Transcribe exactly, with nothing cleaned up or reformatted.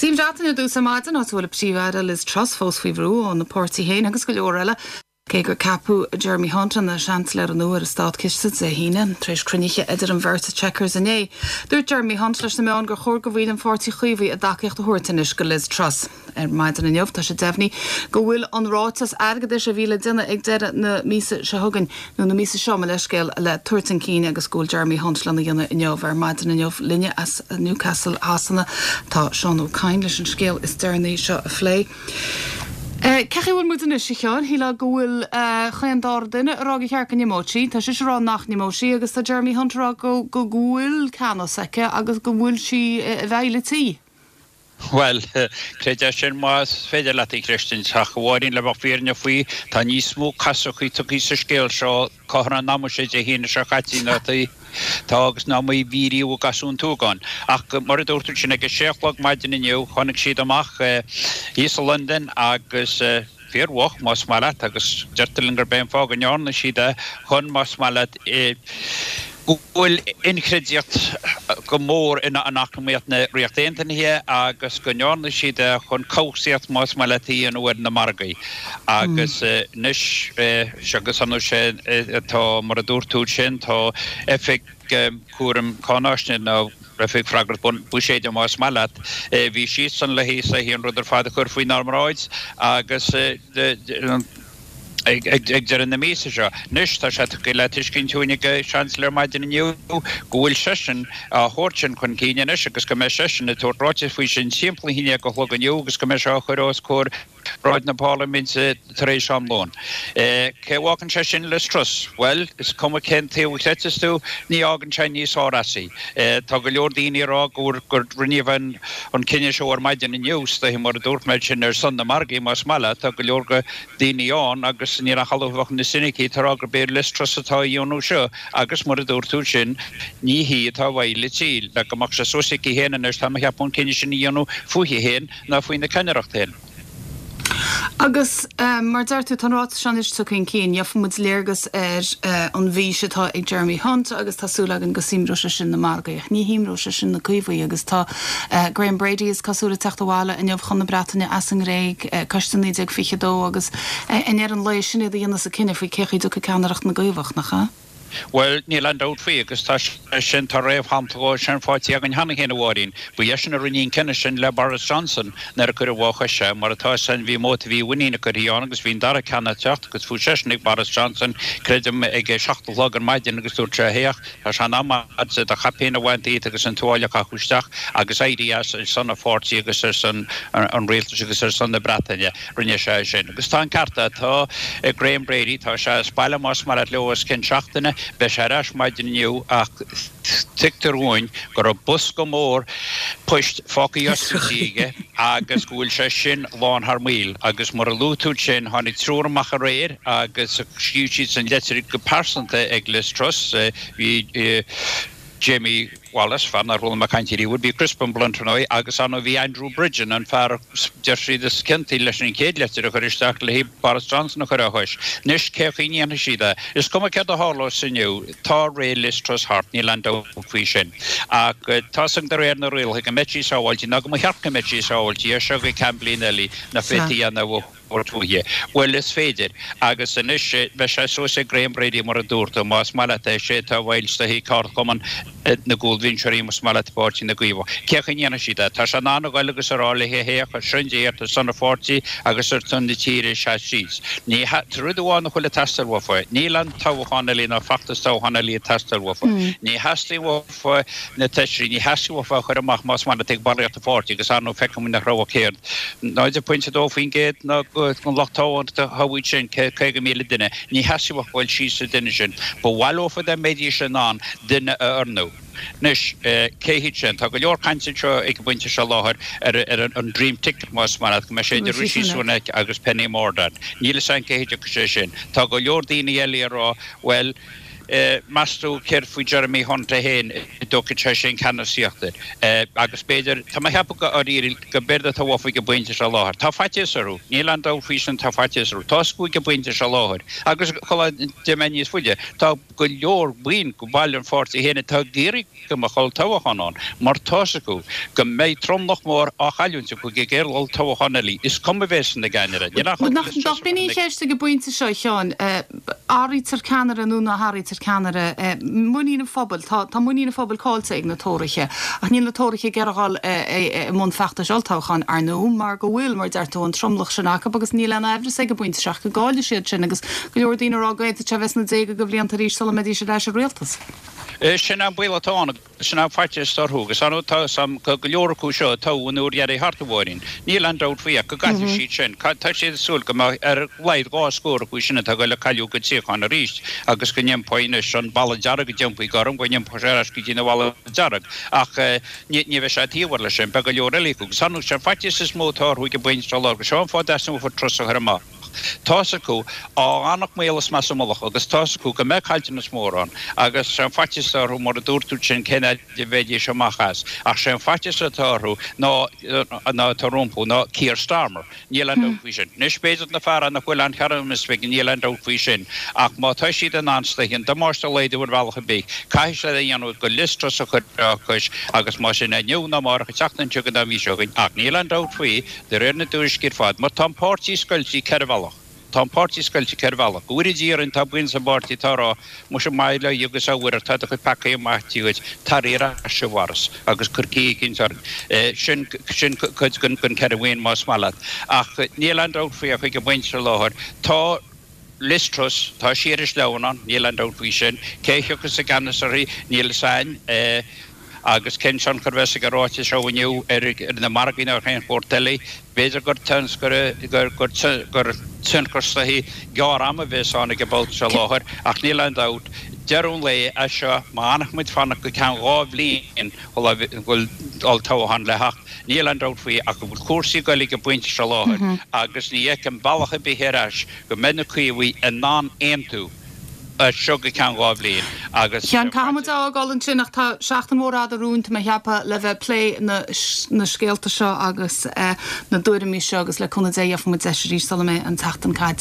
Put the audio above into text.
Go dtí an Bhreatain ar dtús ar maidin áit a bhfuil an Príomh-Aire Liz Truss fós faoi bhrú óna páirtí féin agus go leor eile. Cé gur ceapadh Jeremy Hunt ina Seansailéir nua ar an Státchiste Dé hAoine tar éis cruinnithe idir an bheirt i Chequers inné. Dúirt Jeremy Hunt leis na meáin gur chóir go bhfuil an Pháirtí Chaomhaigh a dtacaíocht a thabhairt anois go Liz Truss. Ar maidin inniu tá sé deimhnithe go bhfuil an ráiteas airgeadais a bhí le déanamh ag deireadh na míosa seo chugainn nó na míosa seo mar leithscéal le tabhairt chun cinn agus go bhfuil Jeremy Hunt lena dhéanamh inniu ar maidin inniu linne as Newcastle Shasana tá Seán Ó Cadhain leis an scéal is deireanaí seo a phlé. Cén chaoi a bhfuil muid anois a Sheáin shílfeá go bhfuil chaon dara duine ag rá gur cheart go n-imeodh sí, Tá sise ag rá nach n-imeodh sí agus tá Jeremy Hunt ag rá go go bhfuil ceannas aici agus go bhfuil sí i bhfeighil an tí. Well, creid é sin más féidir leat a chreidstiúint ach a Mháirín le bheith fírinneach faoi, tá níos mó casachaí tugtha sa scéal seo cothrom an ama seo Dé hAoine seo caite ná tá agus ná mar a bhí riamh ag gasún tuagáin. Ach mar a dúirt tú sin ag a sé a chlog maidin inniu tháinig siad amach thíos i Londain agus fíormhoch más maith leat agus deirtear linn gurb é an fáth go ndearna siad é chun más maith leat go bhfuil inchreidteacht go mór in eacnamaíocht na Ríochta Aontaithe agus go ndearna siad é chun cobhsaíocht más maith leat a dhéanamh ar na margaí. Agus anois agus an sé tá mar a dúirt tú sin tá oifig cúram cáinaisnéise nó oifig freagrach buiséid más maith leat bhí siadsan le hí an rud ar fad a chur faoinár mbráid agus ag deireadh na míosa seo. Anois tá sé tugtha le tuiscint dúinn ag an Seansailéir maidin inniu go bhfuil seisean á thabhairt sin chun cinn anois agus go mbeidh seisean ag tabhairt ráiteas faoi sin timpeall a haon déag a chlog inniu agus go mbeidh sé á chur os comhair bráid na Parlaiminte tar éis am lóin. Cé a bhfágann sé sin Liz Truss? Bhuel, is cuma cén taobh a chreidfeas tú, ní fhágann sé níos fearr as í. Tá go leor daoine ag rá gur gur rinneadh an an cinneadh seo ar maidin inniu, is mar a dúirt mé sin ar son na margaí más maith leat, tá go leor go daoine ann agus níl ach bheadh na soinicí ag rá gurb é Liz Truss atá á dhéanamh seo agus mar a dúirt tú sin ní hí atá i bhfeighil an tí le go mbeadh sé suas aici féin anois tá mé ag ceapadh an cinneadh sin a dhéanamh fúithi féin ná faoina ceannaireacht féin. Agus mar deir tú tá an ráiteas seo anois tugtha chun cinn, gheobhaidh muid léargas ar an bhfís atá ag Jeremy Hunt agus tá súil againn go shuaimhneoidh sé sin na margaí. Ní shuaimhneoidh sé sin na Caomhaigh agus tá Graham Brady is cosúil ag teacht abhaile inniu chun na Breataine as an nGréig coiste naoi déag fiche dó agus i ndeireadh an lae sin iad a dhéanfas an cinneadh faoi cé chaoi a dtiocfaidh ceannaireacht na gCaomhach nach ea? Bhuel, níl aon dabht faoi agus tá sin tá réamhshampla sin faighte againn cheana féin a Mháirín. Ba eisean a rinne an cinneadh sin le Boris Johnson nuair a cuireadh á chois sé, mar atá san bhí móta bhí mhuinín curtha ann agus bhí an dara ceann ag teacht agus fuair seisean ag Boris Johnson creidim ag seacht a chlog ar maidin agus dúirt sé héach tá sé in am agat do chaipín a bhaint díot agus an tuáille a chaitheamh isteach agus éirí as ar son an pháirtí agus ar son an rialtais agus ar son na Breataine rinne sé sin. Agus tá an ceart tá Graham Brady tá sé as baile más maith leat os cionn seachtaine beidh sé ar ais maidin inniu ach tuigtear dúinn go raibh bosca mór poist fágtha oscailte aige agus go bhfuil sé sin lán thar maoil agus mar a luaigh tú sin tháinig triúr amach aréir agus scríobh siad san leitir go pearsanta ag Liz Truss bhí Jamie Wallace fear nár chuala mé caint riamh bhí Crispin Blunt agus ann bhí Andrew Bridgen an fear deir siad is ciontaí leis an chéad leitir a chur isteach le Boris Johnson a chur á chois. Anois cé chaoi a ndéanfaidh siad é. Is cuma céard a tharlós inniu tá ré Liz Truss thart níl aon dabht faoi sin. Ach tá san de réir na rialacha go mbeidh sí sábháilte ná go mba cheart go mbeidh sí sábháilte ar seo go ceann bliain eile na féadfaí a dhéanamh fúithi. Bhuel is féidir agus anois beidh sé suas ag Graham Brady mar a dúirt tú más maith leat é sé tá bhfuil sa ceardchumann na gcúlbhinseoirí más maith leat Páirtí na gCaomhach. Cé chaoi a ndéanfaidh siad é? Tá sé in ann a ghoil agus a rá léi héach ar son Dé ar son an pháirtí agus ar son na tíre seas síos. Ní rud amháin a chuile teastáil uafa. Níl an toghchán eile ná feachtas toghchán eile ag teastáil uafa. Ní theastaíonn uafa na feisirí, ní theastaíonn uafa a chur amach más maith leat ag ballraíocht an pháirtí agus ar ndóigh feicim nach raibh céard náid pointe dó faoin gcéad ná an lucht toghadh sin caoga míle duine. Ní theastaíonn uafa goil síos sa duine sin. Ba mhaith leofa dá mbeidís in ann duine a oirniú. Anois cé hiad sin tá go leor cainte seo ag an bpointe seo láthair ar ar an dream ticket más maith leat go mbeidh sé idir Rishi Sunak agus Penny Mordaunt. Níl a fhios againn cé hiad sé sin. Tá go leor daoine eile ag rá well Meas tú céard faoi Jeremy Hunt é féin an dtógfaidh sé sin ceannasaíocht air? Agus b'fhéidir, tá mé a cheapadh go áirithe go b'éard atá uafa ag an bpointe seo láthair. Tá faitíos orthu, níl aon dabht faoi sin, tá faitíos orthu. Tá acu ag an bpointe seo láthair. Agus sula dtéann mé níos faide, tá go leor baill de bhaill an pháirtí féin atá ag iarraidh go mbeadh olltoghchán ann mar tá's acu go mbeidh tromlach mór á chailliúint acu ag an gcéad olltoghchán eile, is cuma a bheas ina gceannaire. Níl aon Nach b'in í an cheist ag an bpointe seo, a Sheáin, athraítear ceannaire nó ná hathraítear ceannaire? Muinín an phobail, tá tá muinín an phobail caillte ag na Tóraithe, ach níl na Tóraithe ag iarraidh dhul i mbun feachtais olltoghcháin, ar ndóigh, mar go bhfuil, mar a deir tú, an tromlach sin acu agus níl aon aimhreas ag an bpointe seo ach go gcaillfidh siad sin agus go leor daoine ag rá go bhféadfadh sé a bheith sna déaga de bhlianta arís sula mbeidís ar ais i rialtas. Sin an baol atá ann agus sin an faitíos atá orthu agus ar ndóigh tá 'fhios a'm go leor acu seo a toghadh an uair dheiridh thart, a Mháirín. Níl aon dabht faoi ach go gcaillfidh siad sin. Tá siad ag súil go mbeidh ar a laghad dhá scór acu sin atá ag goil a cailleadh a gcuid suíochán arís agus go n-iompóidh anois an balla dearg a d'iompaigh gorm, go n-iompóidh sé ar ais go dtí na balla dearg. Ach ní bheidh sé taobh leis sin, beidh go leor eile acu. Agus ar ndóigh sé an faitíos is mó atá orthu ag an bpointe seo agus seo an fáth a dteastaíonn uafa Truss a chur amach. Tá's acu, á fhanacht maol is measa mullach agus tá's acu go mbeidh caillteanas mór ann agus sé an faitíos atá orthu mar a dúirt tú sin cén fhaid a bheidís amach as ach sé an faitíos atá orthu ná ná atá rompu ná Keir Starmer. Níl aon dabht faoi sin. Anois b'fhéidir na fear nach bhfuil aon charisma aige níl aon dabht faoi sin ach má tá siad in ann is dóiche an damáiste a laghdú ar bhealach ar bith caithfidh siad é a dhéanamh go Liz Truss a chur dá cois agus más sin inniu nó amárach an tseachtain seo chugainn nó an mhí seo chugainn ach níl aon dabht faoi De réir na dtuairiscí ar fad, mar tá an páirtí scoilte ceithre bhealach. Tá an páirtí scoilte ceithre bhealach. Go bhfóire Dia orainn tá baill sa bpáirtí atá ag rá, muise maith le agus a Mhuire, tá do chuid peacaí maite duit, tar ar ais a Bhoris agus cuir caoi eicínt orainn. Sin, sin cuid den, den ceithre bhuíon más maith leat. Ach níl aon dabht faoi ach ag an bpointe seo láthair, tá Liz Truss, tá sí ar an sleamhnán, níl aon dabht faoi sin. Cé a thiocfas i gceannas uirthi, níl fhios a'inn. Agus cén tionchar a bheas ag an ráiteas seo inniu ar na margaí nó ar aon shórt eile? B'fhéidir gur gur tionchar is dóichí gearr-ama a bheas ann ag an bpointe seo láthair, ach níl aon dabht, deireadh an lae as seo, má fhanfaidh muid fanacht go ceann dhá bhliain sula bhfuil olltoghchán le theacht, níl aon dabht faoi ach go bhfuil cúrsaí ag goil ag an bpointe seo láthair agus ní fheicim bealach ar bith ar ais go mbeidh na Caomhaigh in ann aontú. as seo go ceann dhá bhliain agus. Sheáin, caithfidh muid a fhágáil ansin ach tá seachtain mhór fhada romhainn, tá mé ag ceapadh, le bheith ag plé na na scéalta seo agus na dtuairimí seo agus le cúnamh Dé gheobhaidh muid deis arís sula mbeidh an tseachtain caite.